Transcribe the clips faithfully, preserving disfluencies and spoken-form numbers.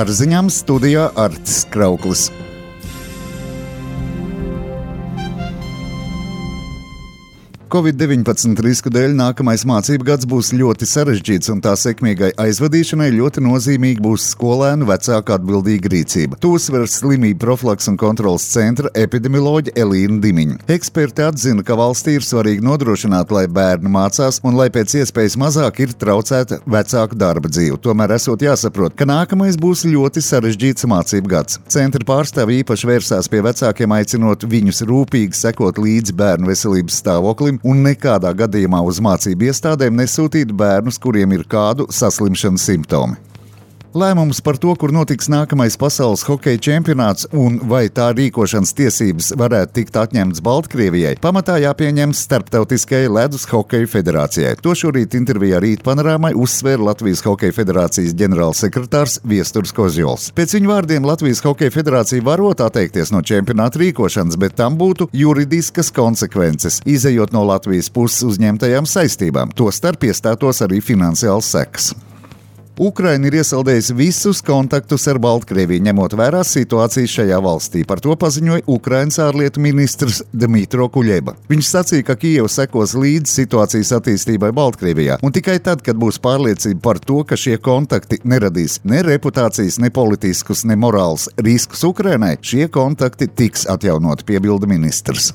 Ar ziņām studijā Artis Krauklis. covid deviņpadsmit risku dēļ nākamais mācību gads būs ļoti sarežģīts, un tā sekmīgai aizvadīšanai ļoti nozīmīgi būs skolēnu vecāku atbildīga rīcība. To uzsver slimību profilaks un kontrolas centra epidemioloģe Elīna Dimiņa. Eksperti atzina, ka valstī ir svarīgi nodrošināt, lai bērni mācās un lai pēc iespējas mazāk ir traucēta vecāku darba dzīve. Tomēr esot jāsaprot, ka nākamais būs ļoti sarežģīts mācību gads. Centra pārstāvji īpaši vērsās pie vecākiem, aicinot viņus rūpīgi sekot līdzi bērnu veselības stāvoklim un nekādā gadījumā uz mācību iestādēm nesūtīt bērnus, kuriem ir kādu saslimšanas simptomi. Lēmums par to, kur notiks nākamais pasaules hokeja čempionāts un vai tā rīkošanas tiesības varētu tikt atņemtas Baltkrievijai, pamatā jāpieņem Starptautiskajai ledus hokeja federācijai. To šorīt intervijā Rīt panorāmai uzsvēra Latvijas hokeja federācijas ģenerālsekretārs Viesturs Kozjols. Pēc viņa vārdiem Latvijas hokeja federācija varot atteikties no čempionāta rīkošanas, bet tam būtu juridiskas konsekvences, izejot no Latvijas puses uzņemtajām saistībām. Tostarp iestātos arī finansiāls sekas. Ukraina ir iesaldējusi visus kontaktus ar Baltkrieviju, ņemot vērā situāciju šajā valstī. Par to paziņoja Ukrainas ārlietu ministrs Dmytro Kuļeba. Viņš sacīja, ka Kijeva sekos līdz situācijas attīstībai Baltkrievijā, un tikai tad, kad būs pārliecība par to, ka šie kontakti neradīs ne reputācijas, ne politiskus, ne morāls riskus Ukrainai, šie kontakti tiks atjaunoti, piebilda ministrs.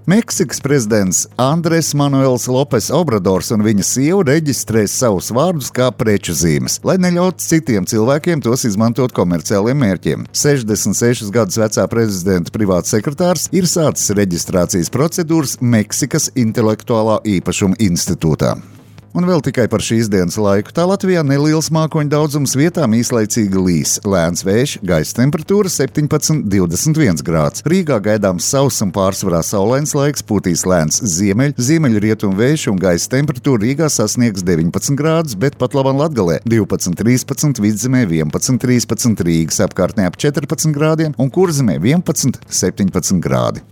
Meksikas prezidents Andres Manuels Lopes Obradors un viņa sieva reģistrēs savus vārdus kā preču zīmes, lai neļautu citiem cilvēkiem tos izmantot komerciāliem mērķiem. sešdesmit sešus gadus vecā prezidenta privāts sekretārs ir sācis reģistrācijas procedūras Meksikas intelektuālā īpašuma institūtā. Un vēl tikai par šīs dienas laiku. Tā Latvijā neliels mākoņu daudzums, vietām īslaicīgi līs. Lēns vējš, gaisa temperatūra septiņpadsmit līdz divdesmit viens grāds. Rīgā gaidāms sauss un pārsvarā saulains laiks, pūtīs lēns ziemeļ, ziemeļrietumu vējš un gaisa temperatūra Rīgā sasniegs deviņpadsmit grādus, bet pat labam Latgalē divpadsmit trīspadsmit, Vidzemē vienpadsmit trīspadsmit, Rīgas apkārtnē ap četrpadsmit grādiem un Kurzemē vienpadsmit septiņpadsmit grādi.